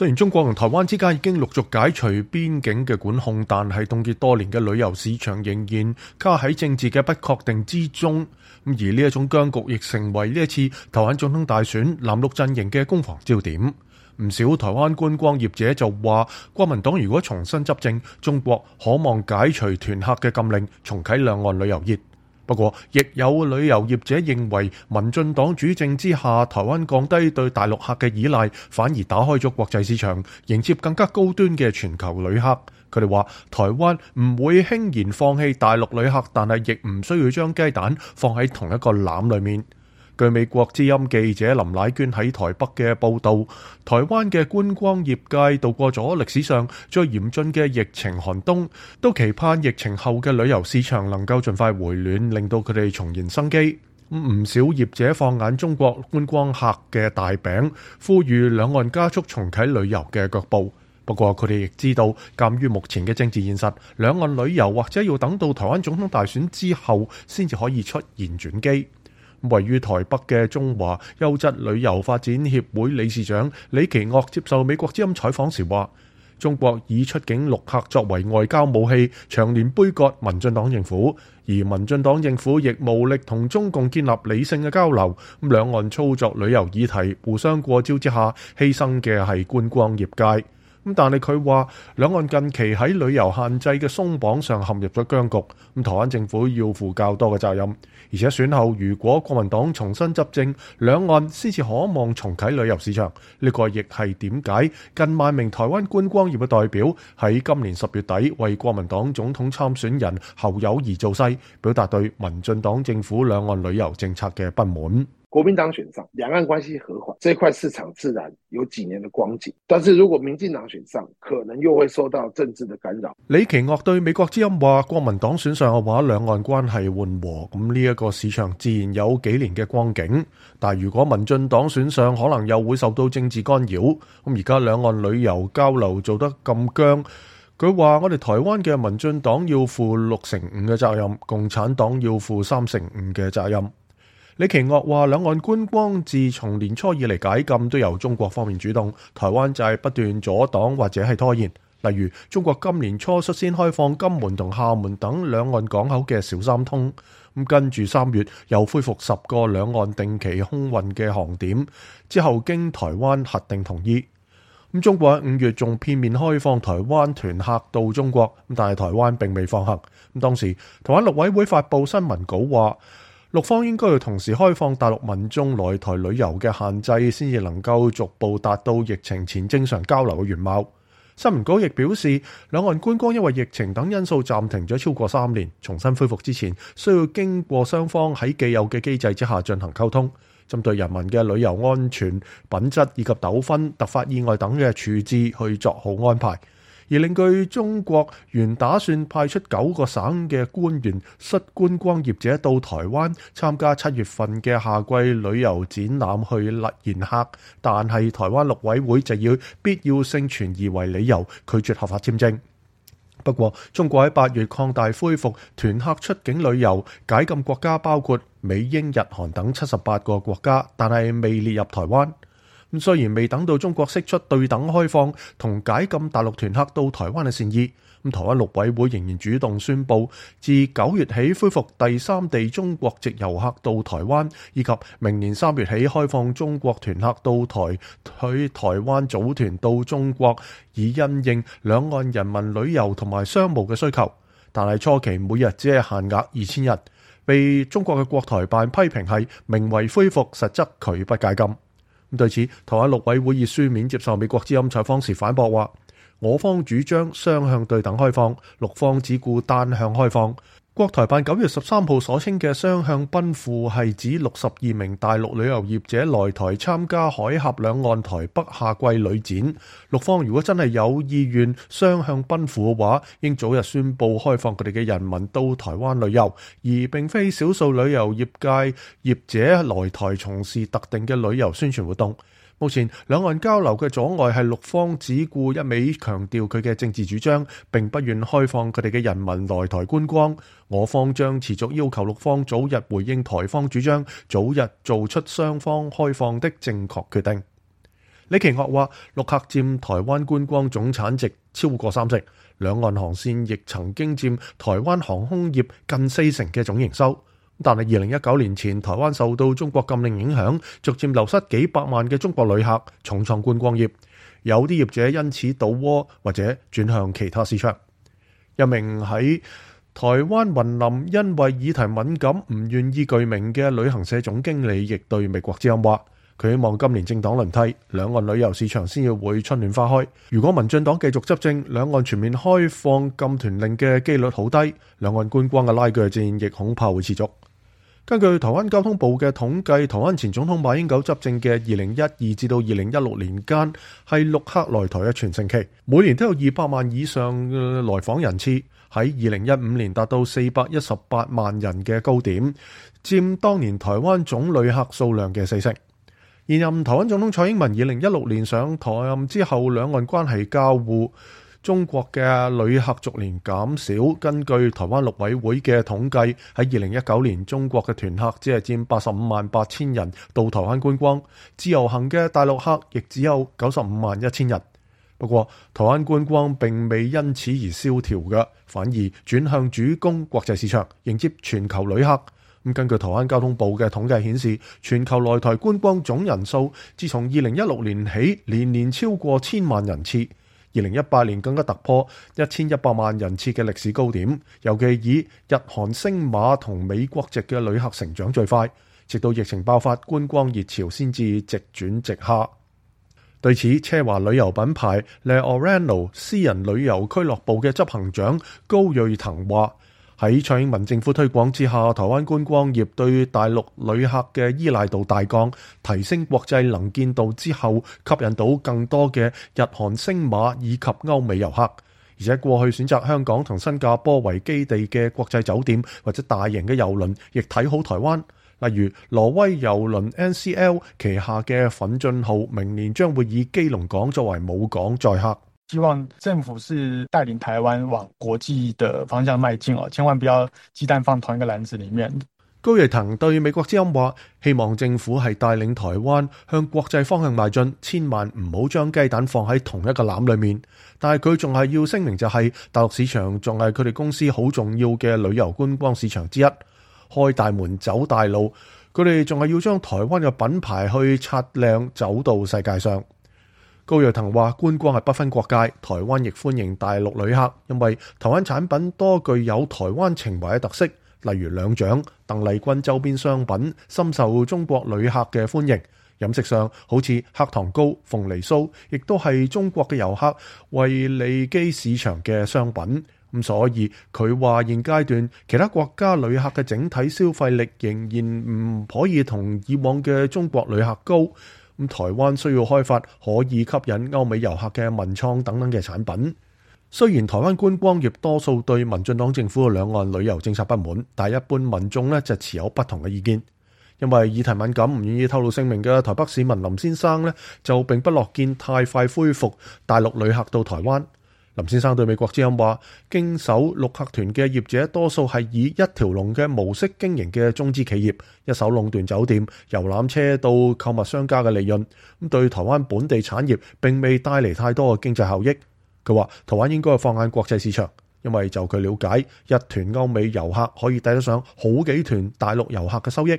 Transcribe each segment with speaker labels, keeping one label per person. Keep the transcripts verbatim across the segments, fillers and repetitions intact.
Speaker 1: 雖然中國同台灣之間已經陸續解除邊境嘅管控，但係凍結多年嘅旅遊市場仍然卡喺政治嘅不確定之中。而呢一種僵局亦成為呢一次台灣總統大選藍綠陣營嘅攻防焦點。唔少台灣觀光業者就話，國民黨如果重新執政，中國可望解除團客嘅禁令，重啟兩岸旅遊業。不過，亦有旅遊業者認為，民進黨主政之下，台灣降低對大陸客嘅依賴，反而打開咗國際市場，迎接更加高端嘅全球旅客。佢哋話，台灣唔會輕言放棄大陸旅客，但係亦唔需要將雞蛋放喺同一個籃裡面。據美國之音記者林乃娟喺台北嘅報導，台灣嘅觀光業界度過咗歷史上最嚴峻嘅疫情寒冬，都期盼疫情後嘅旅遊市場能夠盡快回暖，令到佢哋重燃生機。唔少業者放眼中國觀光客嘅大餅，呼籲兩岸加速重啟旅遊嘅腳步。不過佢哋亦知道，鑑於目前嘅政治現實，兩岸旅遊或者要等到台灣總統大選之後，先至可以出現轉機。位於台北嘅中華優質旅遊發展協會理事長李奇岳接受美國之音採訪時話，中國以出境陸客作為外交武器，長年杯葛民進黨政府，而民進黨政府亦無力同中共建立理性嘅交流。咁兩岸操作旅遊議題互相過招之下，犧牲嘅係觀光業界。咁但係佢話，兩岸近期喺旅遊限制嘅鬆綁上陷入咗僵局，咁台灣政府要負較多嘅責任，而且選後如果國民黨重新執政，兩岸先至可望重啟旅遊市場。呢個亦係點解近萬名台灣觀光業嘅代表喺今年十月底為國民黨總統參選人侯友宜造勢，表達對民進黨政府兩岸旅遊政策嘅不滿。
Speaker 2: 國民黨選上，兩岸關係和緩，這塊市場自然有幾年的光景。但是如果民進黨選上，可能又會受到政治的干擾。
Speaker 1: 李奇岳對美國之音話，國民黨選上嘅話，兩岸關係緩和，咁呢一個市場自然有幾年嘅光景。但如果民進黨選上，可能又會受到政治干擾。咁而家兩岸旅遊交流做得咁僵，佢話我哋台灣嘅民進黨要負六成五嘅責任，共產黨要負三成五嘅責任。李奇岳話，兩岸觀光自從年初以嚟解禁都由中國方面主動，台灣就係不斷阻擋或者係拖延。例如中國今年初率先開放金門同廈門等兩岸港口嘅小三通，咁跟住三月又恢復十個兩岸定期空運嘅航點，之後經台灣核定同意。咁中國喺五月仲片面開放台灣團客到中國，但係台灣並未放行。咁當時台灣陸委會發布新聞稿話，陸方應該要同時開放大陸民眾來台旅遊嘅限制，先至能夠逐步達到疫情前正常交流嘅原貌。新聞稿亦表示，兩岸觀光因為疫情等因素暫停咗超過三年，重新恢復之前，需要經過雙方喺既有嘅機制之下進行溝通，針對人民嘅旅遊安全、品質以及糾紛、突發意外等嘅處置去作好安排。而另據中國原打算派出九個省嘅官員率觀光業者到台灣參加七月份嘅夏季旅遊展覽去迎客，但係台灣陸委會就以必要性存疑為理由拒絕合法簽證。不過，中國喺八月擴大恢復團客出境旅遊，解禁國家包括美、英、日、韓等七十八個國家，但係未列入台灣。咁雖然未等到中國釋出對等開放同解禁大陸團客到台灣嘅善意，咁台灣陸委會仍然主動宣布，自九月起恢復第三地中國籍遊客到台灣，以及明年三月起開放中國團客到台去台灣組團到中國，以因應兩岸人民旅遊同埋商務嘅需求。但係初期每日只係限額二千日，被中國嘅國台辦批評係名為恢復，實則拒不解禁。咁對此，台灣陸委會以書面接受美國之音採訪時反駁話，我方主張雙向對等開放，陸方只顧單向開放。國台辦九月十三號所稱嘅雙向奔赴係指六十二名大陸旅遊業者來台參加海峽兩岸台北夏季旅展。陸方如果真係有意願雙向奔赴嘅話，應早日宣布開放佢哋嘅人民到台灣旅遊，而並非少數旅遊業界業者來台從事特定嘅旅遊宣傳活動。目前兩岸交流嘅阻礙係陸方只顧一味強調佢嘅政治主張，並不願開放佢哋嘅人民來台觀光。我方將持續要求陸方早日回應台方主張，早日做出雙方開放的正確決定。李奇岳話，陸客佔台灣觀光總產值超過三成，兩岸航線亦曾經佔台灣航空業近四成嘅總營收。但係二零一九年前，台灣受到中國禁令影響，逐漸流失幾百萬嘅中國旅客，重創觀光業。有啲業者因此倒窩或者轉向其他市場。一名喺台灣雲林因為議題敏感唔願意具名嘅旅行社總經理，亦對美國之音話，佢希望今年政黨輪替，兩岸旅遊市場先至會春暖花開。如果民進黨繼續執政，兩岸全面開放禁團令嘅機率好低，兩岸觀光嘅拉鋸戰亦恐怕會持續。根據台灣交通部嘅統計，台灣前總統馬英九執政嘅二零一二至到二零一六年間，係陸客來台嘅全盛期，每年都有二百萬以上嘅來訪人次。喺二零一五年達到四百一十八萬人嘅高點，佔當年台灣總旅客數量嘅四成。現任台灣總統蔡英文二零一六年上台任之後，兩岸關係交惡，中國嘅旅客逐年減少。根據台灣陸委會嘅統計，喺二零一九年，中國嘅團客只係佔八十五萬八千人到台灣觀光，自由行嘅大陸客亦只有九十五萬一千人。不過，台灣觀光並未因此而蕭條嘅，反而轉向主攻國際市場，迎接全球旅客。咁根據台灣交通部嘅統計顯示，全球來台觀光總人數自從二零一六年起，年年超過千萬人次。二零一八年更加突破一千一百萬人次嘅歷史高點，尤其以日韓星馬同美國籍嘅旅客成長最快，直到疫情爆發，觀光熱潮先至直轉直下。對此，奢華旅遊品牌 Le Orano 私人旅遊俱樂部嘅執行長高瑞騰話，喺蔡英文政府推廣之下，台灣觀光業對大陸旅客嘅依賴度大降，提升國際能見度之後，吸引到更多嘅日韓星馬以及歐美遊客。而且過去選擇香港同新加坡為基地嘅國際酒店或者大型嘅郵輪，亦睇好台灣。例如挪威郵輪 N C L 旗下嘅奮進號，明年將會以基隆港作為母港載客。
Speaker 3: 希望政府是帶領台灣往國際的方向邁進，千萬不要雞蛋放同一個籃子裡面。
Speaker 1: 高瑞騰對美國之音話，希望政府係帶領台灣向國際方向邁進，千萬唔好將雞蛋放喺同一個籃裡面。但係佢仲係要聲明，就係大陸市場仲係佢哋公司好重要嘅旅遊觀光市場之一。開大門走大路，佢哋仲係要將台灣嘅品牌去擦亮，走到世界上。高瑞騰話，觀光係不分國界，台灣亦歡迎大陸旅客，因為台灣產品多具有台灣情懷嘅特色，例如兩獎、鄧麗君周邊商品，深受中國旅客嘅歡迎。飲食上，好似黑糖糕、鳳梨酥，亦都係中國嘅遊客為利基市場嘅商品。咁所以佢話現階段其他國家旅客嘅整體消費力仍然唔可以同以往嘅中國旅客高。咁台灣需要開發可以吸引歐美遊客嘅文創等等嘅產品。雖然台灣觀光業多數對民進黨政府嘅兩岸旅遊政策不滿，但係一般民眾呢就持有不同嘅意見。因為議題敏感唔願意透露姓名嘅台北市民林先生呢，就並不樂見太快恢復大陸旅客到台灣。林先生對美國之音話，經手陸客團嘅業者多數係以一條龍嘅模式經營嘅中資企業，一手壟斷酒店、遊覽車到購物商家嘅利潤，咁對台灣本地產業並未帶嚟太多嘅經濟效益。佢話台灣應該放眼國際市場，因為就佢了解，一團歐美遊客可以抵得上好幾團大陸遊客嘅收益。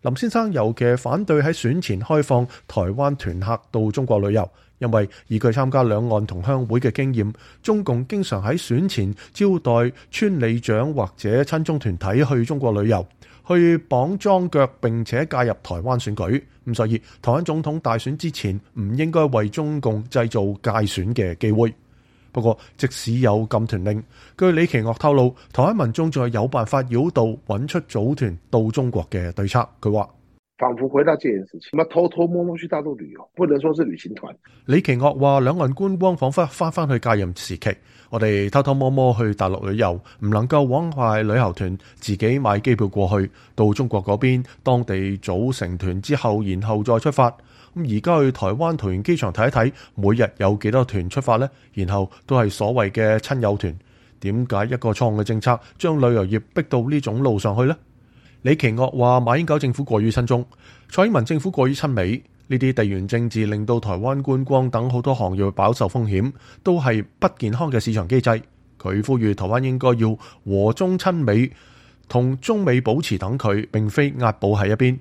Speaker 1: 林先生尤其反對喺選前開放台灣團客到中國旅遊，因為以佢參加兩岸同鄉會嘅經驗，中共經常喺選前招待村里長或者親中團體去中國旅遊，去綁樁腳並且介入台灣選舉。咁所以台灣總統大選之前唔應該為中共製造介選嘅機會。不過，即使有禁團令，據李奇岳透露，台灣民眾仲係有辦法繞道揾出組團到中國嘅對策。佢話：
Speaker 2: 仿佛回到戒嚴時期，咁偷偷摸摸去大陸旅遊，不能說是旅行團。
Speaker 1: 李奇岳話：兩岸觀光彷彿翻返去戒嚴時期，我哋偷偷摸摸去大陸旅遊，唔能夠枉壞旅遊團自己買機票過去到中國嗰邊，當地組成團之後，然後再出發。咁而家去台灣桃園機場睇一睇，每日有幾多團出發呢？然後都係所謂嘅親友團。點解一個錯誤嘅政策將旅遊業逼到呢種路上去呢？李奇岳話：馬英九政府過於親中，蔡英文政府過於親美。呢啲地緣政治令到台灣觀光等好多行業飽受風險，都係不健康嘅市場機制。佢呼籲台灣應該要和中親美，同中美保持等距，並非壓寶喺一邊。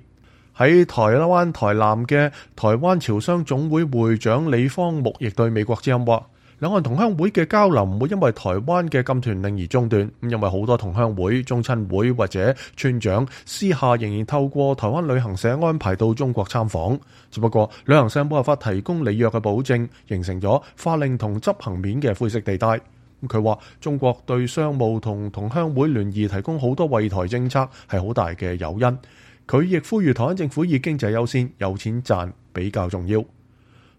Speaker 1: 喺台灣台南嘅台灣僑商總會會長李方木亦對美國之音話，兩岸同鄉會嘅交流唔會因為台灣嘅禁團令而中斷，因為好多同鄉會、中親會或者村長私下仍然透過台灣旅行社安排到中國參訪，只不過旅行社冇辦法提供履約嘅保證，形成咗法令同執行面嘅灰色地帶。佢話中國對商務同同鄉會聯誼提供好多惠台政策係好大嘅誘因。佢亦呼籲台灣政府以經濟優先，有錢賺比較重要。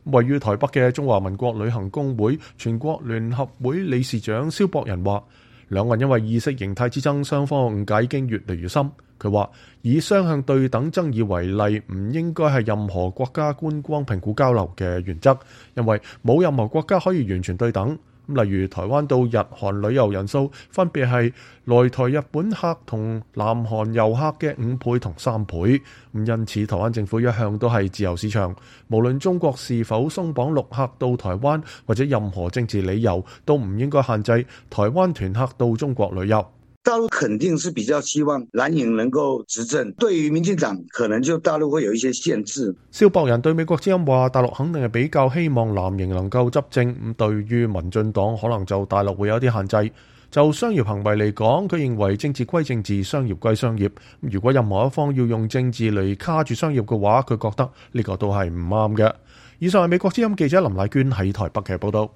Speaker 1: 位於台北嘅中華民國旅行公會全國聯合會理事長蕭博仁話，兩岸因為意識形態之爭，雙方誤解已經越嚟越深。佢話以雙向對等爭議為例，唔應該係任何國家觀光評估交流嘅原則，因為冇任何國家可以完全對等。例如台灣到日韓旅遊人數分別係來台日本客同南韓遊客嘅五倍同三倍，咁因此台灣政府一向都係自由市場，無論中國是否鬆綁陸客到台灣或者任何政治理由，都唔應該限制台灣團客到中國旅遊。
Speaker 4: 大陸肯定是比較希望藍營能夠執政，對於民進黨可能就大陸會有一些限制。
Speaker 1: 蕭博仁對美國之音話，大陸肯定係比較希望藍營能夠執政，咁對於民進黨可能就大陸會有啲限制。就商業行為嚟講，佢認為政治歸政治，商業歸商業。如果任何一方要用政治嚟卡住商業嘅話，佢覺得呢個都係唔啱嘅。以上係美國之音記者林乃娟喺台北嘅報道。